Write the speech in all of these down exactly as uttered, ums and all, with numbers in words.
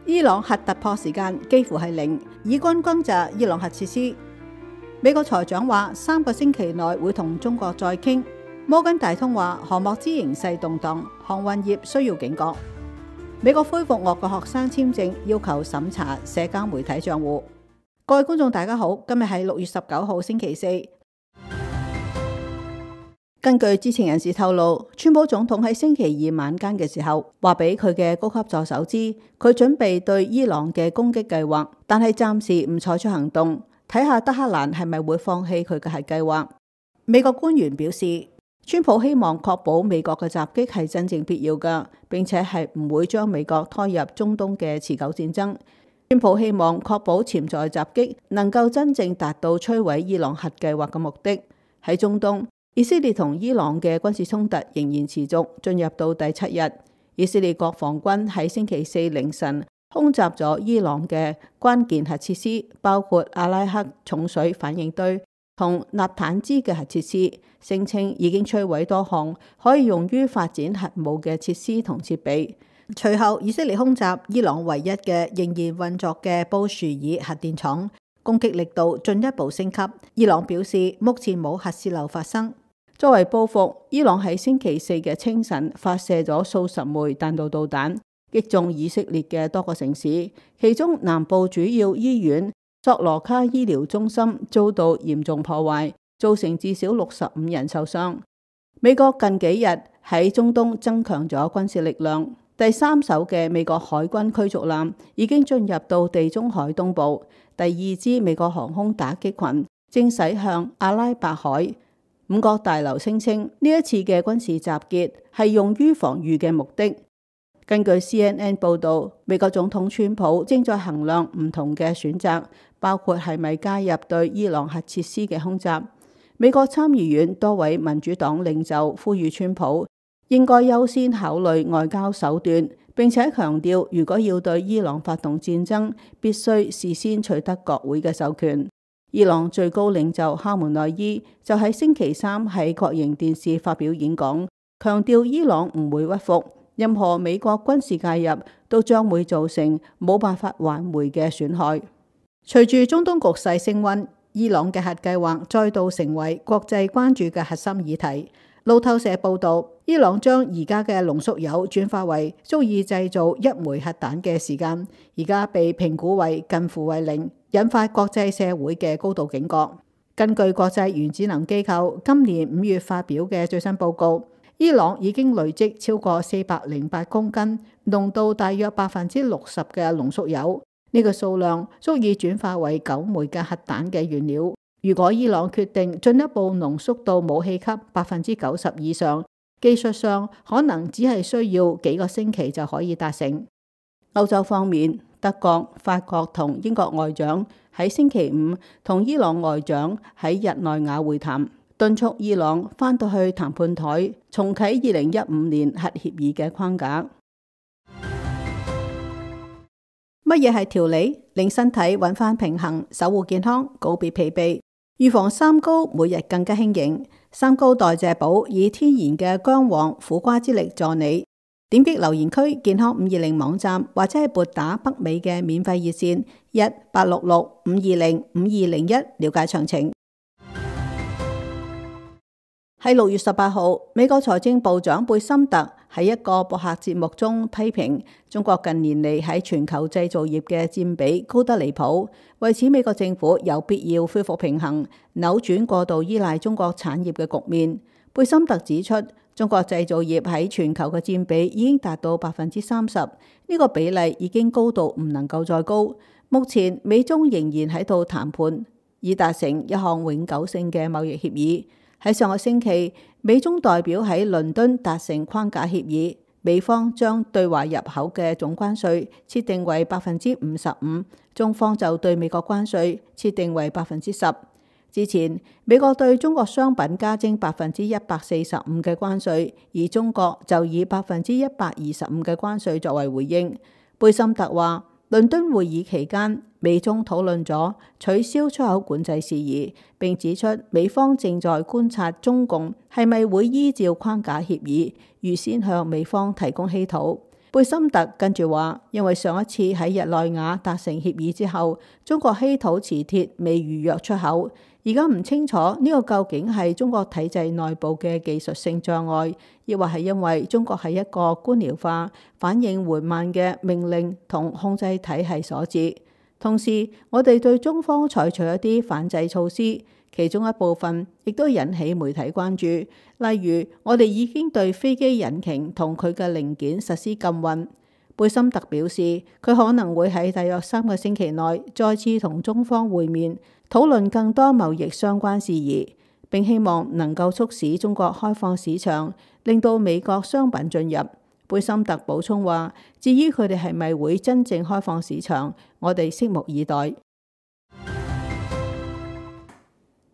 伊朗核突破時間幾乎係零，以軍轟炸伊朗核設施。美國財長話三個星期內會同中國再傾。摩根大通話航幕之形勢動盪，航運業需要警覺。美國恢復俄國學生簽證，要求審查社交媒體賬戶。各位觀眾大家好，今日係六月十九號星期四。根據知情人士透露，川普總統喺星期二晚間嘅時候話俾佢嘅高級助手知，佢準備對伊朗嘅攻擊計劃，但係暫時唔採取行動，睇下德黑蘭係咪會放棄佢嘅核計劃。美國官員表示，川普希望確保美國嘅襲擊係真正必要嘅，並且係唔會將美國拖入中東嘅持久戰爭。川普希望確保潛在襲擊能夠真正達到摧毀伊朗核計劃嘅目的。喺中東，以色列同伊朗嘅軍事衝突仍然持續，進入到第七日。以色列國防軍喺星期四凌晨空襲咗伊朗嘅關鍵核設施，包括阿拉克重水反應堆同納坦茲嘅核設施，聲稱已經摧毀多項可以用於發展核武嘅設施同設備。隨後，以色列空襲伊朗唯一嘅仍然運作嘅布殊爾核電廠，攻擊力度進一步升級。伊朗表示目前冇核洩漏發生。作為報復，伊朗喺星期四嘅清晨發射咗數十枚彈道導彈，擊中以色列嘅多個城市，其中南部主要醫院索羅卡醫療中心遭到嚴重破壞，造成至少六十五人受傷。美國近幾日喺中東增強咗軍事力量，第三艘嘅美國海軍驅逐艦已經進入到地中海東部，第二支美國航空打擊群正駛向阿拉伯海。五角大樓聲稱呢一次嘅軍事集結係用於防禦嘅目的。根據 C N N 報導，美國總統川普正在衡量唔同嘅選擇，包括係咪加入對伊朗核設施嘅空襲。美國參議院多位民主黨領袖呼籲川普應該優先考慮外交手段，並且強調如果要對伊朗發動戰爭，必須事先取得國會嘅授權。伊朗最高領袖哈梅內伊就喺星期三喺國營電視發表演講，強調伊朗唔會屈服，任何美國軍事介入都將會造成冇辦法挽回嘅損害。隨住中東局勢升溫，伊朗嘅核計劃再度成為國際關注嘅核心議題。路透社報導，伊朗將而家嘅濃縮鈾轉化為足以製造一枚核彈嘅時間，而家被評估為近乎為零，引發國際社會嘅高度警覺。根據國際原子能機構今年五月發表嘅最新報告，伊朗已經累積超過四百零八公斤，濃度大約百分之六十嘅濃縮鈾，呢個數量足以轉化為九枚嘅核彈嘅原料。如果伊朗決定進一步濃縮到武器級百分之九十以上，技術上可能只係需要幾個星期就可以達成。歐洲方面，德國、法國同英國外長喺星期五同伊朗外長喺日內瓦會談，敦促伊朗返到去談判台，重啟二零一五年核協議嘅框架。乜嘢係調理？令身體揾返平衡，守護健康，告別疲憊。預防三高，每日更加輕盈。三高代謝寶以天然嘅薑黃苦瓜之力助你。點擊留言區健康五二零網站，或者係撥打北美嘅免費熱線一八六六五二零五二零一了解詳情。喺六月十八號，美國財政部長貝森特喺一個播客節目中批評中國近年嚟喺全球製造業嘅佔比高得離譜，為此美國政府有必要恢復平衡，扭轉過度依賴中國產業嘅局面。貝森特指出，中國製造業喺全球嘅佔比已經達到百分之三十，呢個比例已經高到唔能夠再高。目前美中仍然喺度談判，以達成一項永久性嘅貿易協議。喺上個星期，美中代表喺倫敦達成框架協議，美方將對華入口嘅總關稅設定為百分之五十五，中方就對美國關稅設定為百分之十。之前，美國對中國商品加徵百分之一百四十五嘅關稅，而中國就以百分之一百二十五嘅關稅作為回應。貝森特話，倫敦會議期間，美中討論咗取消出口管制事宜，並指出美方正在觀察中共係咪會依照框架協議預先向美方提供稀土。貝森特跟住話，因為上一次喺日內瓦達成協議之後，中國稀土磁鐵未預約出口，而家唔清楚呢個究竟係中國體制內部嘅技術性障礙，亦或係因為中國係一個官僚化、反應緩慢嘅命令同控制體系所致。同時，我哋對中方採取一啲反制措施，其中一部分亦都引起媒體關注。例如，我哋已經對飛機引擎同佢嘅零件實施禁運。貝森特表示，佢可能會喺大約三個星期內再次同中方會面，討論更多貿易相關事宜，並希望能夠促使中國開放市場，令到美國商品進入。貝森特補充話，至於佢哋係咪會真正開放市場，我哋拭目以待。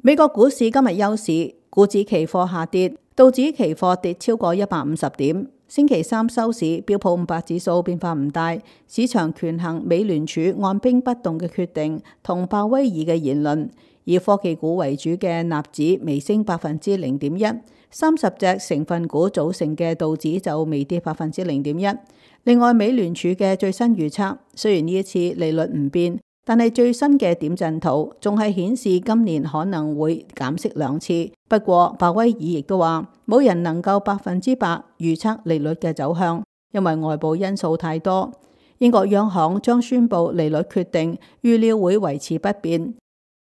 美國股市今日休市，股指期貨下跌，道指期貨跌超過一百五十點。星期三收市，標普五百指數變化唔大，市場權衡美聯儲按兵不動嘅決定同鮑威爾嘅言論，以科技股為主嘅納指微升百分之零點一，三十隻成分股組成嘅道指就微跌百分之零點一。另外，美聯儲嘅最新預測，雖然呢一次利率唔變，但係最新嘅點陣圖仲係顯示今年可能會減息兩次。不過，鮑威爾亦都話，冇人能夠百分之百預測利率嘅走向，因為外部因素太多。英國央行將宣布利率決定，預料會維持不變。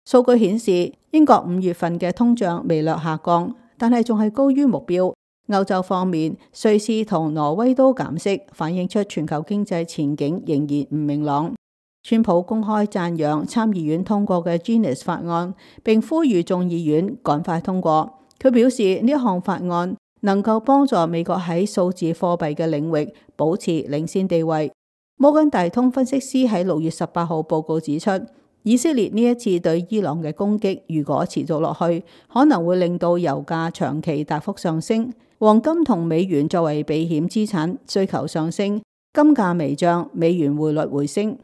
數據顯示，英國五月份嘅通脹微略下降，但係仲係高於目標。歐洲方面，瑞士同挪威都減息，反映出全球經濟前景仍然唔明朗。川普公開讚揚參議院通過嘅 Genius 法案，並呼籲眾議院趕快通過。佢表示呢項法案能夠幫助美國喺數字貨幣嘅領域保持領先地位。摩根大通分析師喺六月十八號報告指出，以色列呢一次對伊朗嘅攻擊如果持續落去，可能會令到油價長期大幅上升，黃金同美元作為避險資產需求上升，金價微漲，美元匯率回升。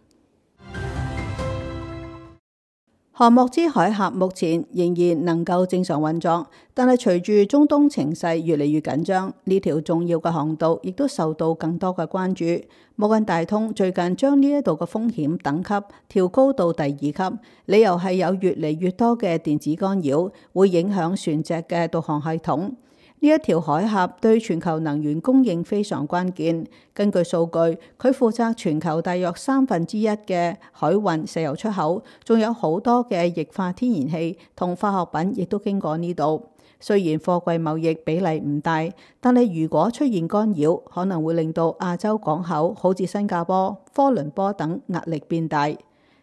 荷莫茲海峽目前仍然能夠正常運作，但係隨住中東情勢越嚟越緊張，呢條重要嘅航道亦都受到更多嘅關注。摩根大通最近將呢一度嘅風險等級調高到第二級，理由係有越嚟越多嘅電子干擾會影響船隻嘅導航系統。呢一條海峽對全球能源供應非常關鍵。根據數據，佢負責全球大約三分之一嘅海運石油出口，仲有好多嘅液化天然氣同化學品亦都經過呢度。雖然貨櫃貿易比例唔大，但係如果出現干擾，可能會令到亞洲港口好似新加坡、科倫坡等壓力變大。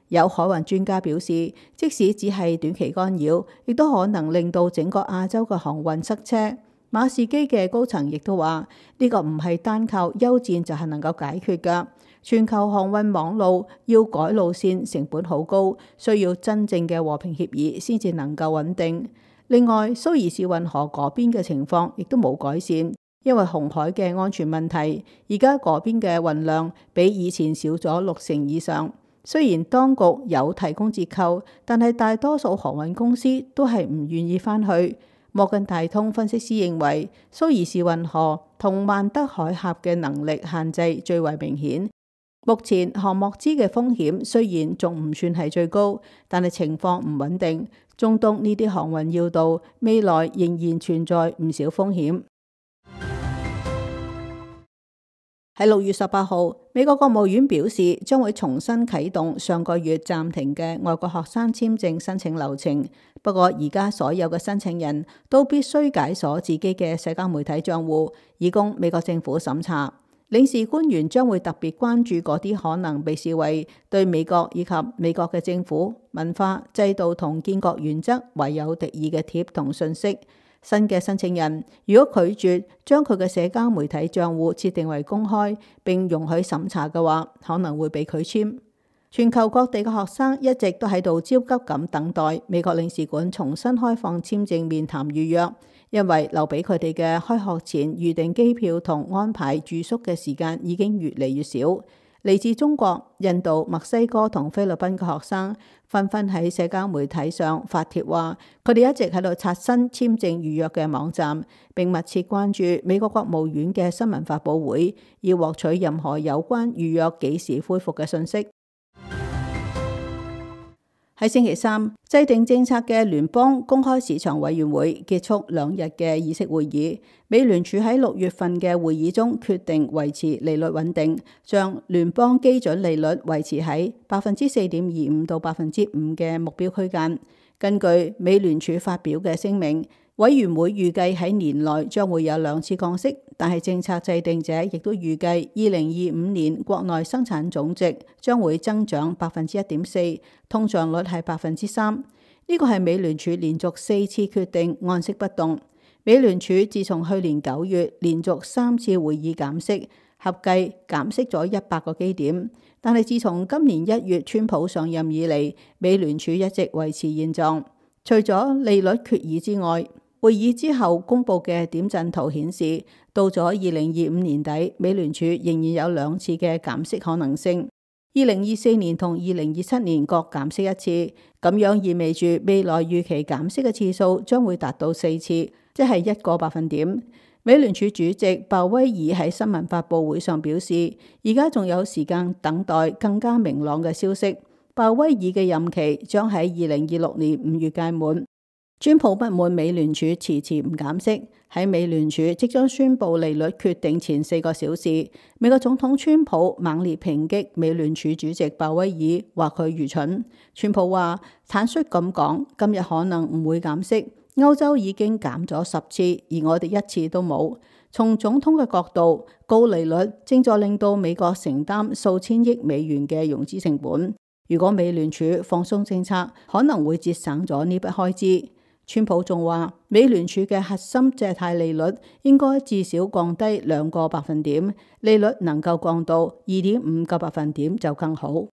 有海運專家表示，即使只係短期干擾，亦都可能令到整個亞洲嘅航運塞車。馬士基嘅高層亦都話，呢個唔係單靠休戰就係能夠解決㗎。全球航運網路要改路線成本好高，需要真正嘅和平協議先至能夠穩定。另外，蘇伊士運河嗰邊嘅情況亦都冇改善，因為紅海嘅安全問題，而家嗰邊嘅運量比以前少咗六成以上。雖然當局有提供折扣，但係大多數航運公司都係唔願意返去。摩根大通分析師認為，蘇伊士運河同曼德海峽嘅能力限制最為明顯。目前荷莫茲嘅風險雖然仲唔算係最高，但係情況唔穩定。中東呢啲航運要道未來仍然存在唔少風險。喺六月十八號，美國國務院表示將會重新啟動上個月暫停嘅外國學生簽證申請流程。不過而家所有嘅申請人都必須解鎖自己嘅社交媒體賬戶，以供美國政府審查。領事官員將會特別關注嗰啲可能被視為對美國以及美國嘅政府、文化、制度同建國原則懷有敵意嘅貼同信息。新嘅申請人如果拒絕將佢嘅社交媒體賬戶設定為公開並容許審查嘅話，可能會被拒簽。全球各地嘅學生一直都喺度焦急咁等待美國領事館重新開放簽證面談預約，因為留俾佢哋嘅開學前預訂機票同安排住宿嘅時間已經越嚟越少。嚟自中國、印度、墨西哥同菲律賓嘅學生紛紛喺社交媒體上發帖話，佢哋一直喺度刷新簽證預約嘅網站，並密切關注美國國務院嘅新聞發佈會，以獲取任何有關預約幾時恢復嘅信息。喺星期三，制定政策嘅聯邦公開市場委員會結束兩日嘅議息會議。美聯儲喺六月份嘅會議中決定維持利率穩定，將聯邦基準利率維持喺百分之四點二五到百分之五嘅目標區間。根據美聯儲發表嘅聲明，委員會預計喺年內將會有兩次降息，但係政策制定者亦都預計二零二五年國內生產總值將會增長百分之一點四，通脹率係百分之三。呢個係美聯儲連續四次決定按息不動。美聯儲自從去年九月連續三次會議減息，合計減息咗一百個基點。但係自從今年一月川普上任以嚟，美聯儲一直維持現狀。除咗利率決議之外，會議之後公布嘅點陣圖顯示，到咗二零二五年底，美聯儲仍然有兩次嘅減息可能性。二零二四年同二零二七年各減息一次，咁樣意味住未來預期減息嘅次數將會達到四次，即係一個百分點。美聯儲主席鮑威爾喺新聞發佈會上表示，而家仲有時間等待更加明朗嘅消息。鮑威爾嘅任期將喺二零二六年五月屆滿。川普不滿美聯儲遲遲唔減息，喺美聯儲即將宣布利率決定前四個小時，美國總統川普猛烈抨擊美聯儲主席鮑威爾，話佢愚蠢。川普話坦率咁講，今日可能唔會減息，歐洲已經減咗十次，而我哋一次都冇。從總統嘅角度，高利率正在令到美國承擔數千億美元嘅融資成本。如果美聯儲放鬆政策，可能會節省咗呢筆開支。川普仲話，美聯儲嘅核心借貸利率應該至少降低兩個百分點，利率能夠降到二點五個百分點就更好。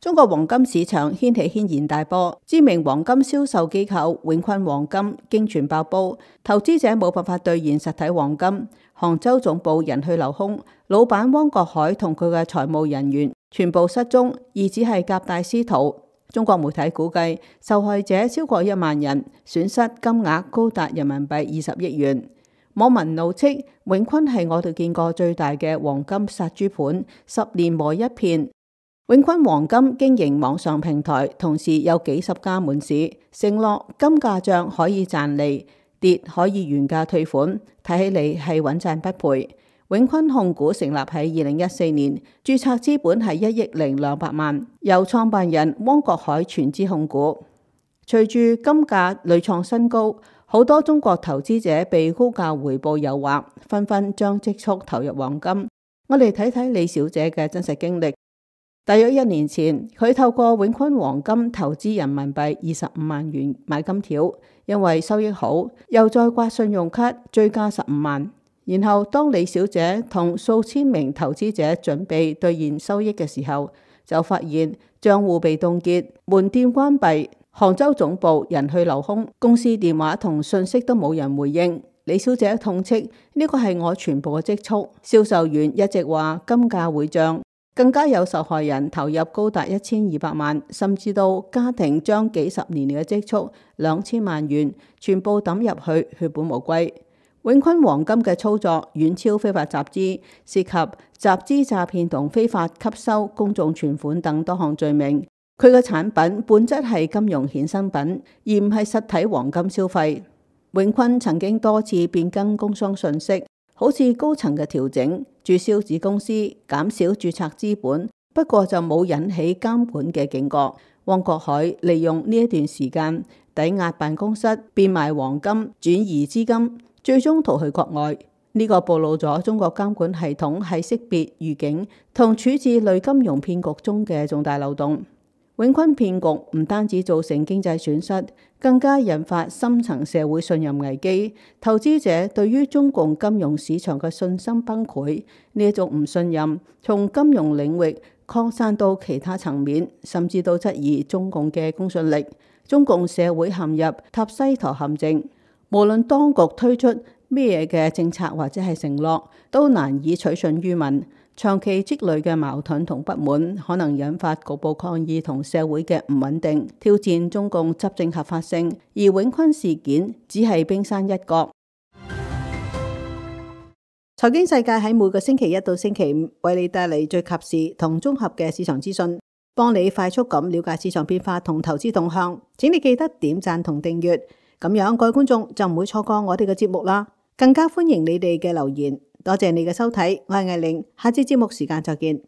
中國黃金市場掀起軒然大波，知名黃金銷售機構永坤黃金經傳爆煲，投資者冇辦法兌現實體黃金，杭州總部人去樓空，老闆汪國海同佢嘅財務人員全部失蹤，疑似係夾帶私逃。中國媒體估計受害者超過一萬人，損失金額高達人民幣二十億元。網民怒斥永坤係我哋見過最大嘅黃金殺豬盤，十年磨一片。永坤黃金經營網上平台，同時有幾十家門市，承諾金價漲可以賺利，跌可以原價退款，睇起嚟係穩賺不賠。永坤控股成立喺二零一四年，註冊資本係一億零兩百萬，由創辦人汪國海全資控股。隨住金價屢創新高，好多中國投資者被高價回報誘惑，紛紛將積蓄投入黃金。我哋睇睇李小姐嘅真實經歷。大約一年前，佢透過永坤黃金投資人民幣二十五萬元買金條，因為收益好，又再刮信用卡追加十五萬。然後當李小姐同數千名投資者準備兌現收益嘅時候，就發現賬戶被凍結、門店關閉、杭州總部人去樓空，公司電話同信息都冇人回應。李小姐痛斥呢個係我全部嘅積蓄。銷售員一直話金價會漲，更加有受害人投入高達一千二百萬，甚至到家庭將幾十年嘅積蓄兩千萬元全部抌入去，血本無歸。永坤黃金嘅操作遠超非法集資，涉及集資詐騙同非法吸收公眾存款等多項罪名。佢嘅產品本質係金融衍生品，而唔係實體黃金消費。永坤曾經多次變更工商信息，好似高層嘅調整、註銷子公司、減少註冊資本，不過就冇引起監管嘅警覺。汪國海利用呢一段時間抵押辦公室，變賣黃金，轉移資金，最終逃去國外。呢、這個暴露咗中國監管系統喺識別、預警同處置類金融騙局中嘅重大漏洞。永坤騙局唔單止造成經濟損失，更加引發深層社會信任危機，投資者對於中共金融市場嘅信心崩潰。呢一種唔信任從金融領域擴散到其他層面，甚至到質疑中共嘅公信力。中共社會陷入塔西佗陷阱。無論當局推出咩嘢嘅政策或者係承諾都難以取信於民。長期積累嘅矛盾同不滿，可能引發局部抗議同社會嘅唔穩定，挑戰中共執政合法性。而永坤事件只係冰山一角。財經世界喺每個星期一到星期五為你帶嚟最及時同綜合嘅市場資訊，幫你快速咁了解市場變化同投資動向。請你記得點讚同訂閱，咁樣各位觀眾就唔會錯過我哋嘅節目啦。更加歡迎你哋嘅留言。多謝你嘅收睇，我係艾玲，下次節目時間再見。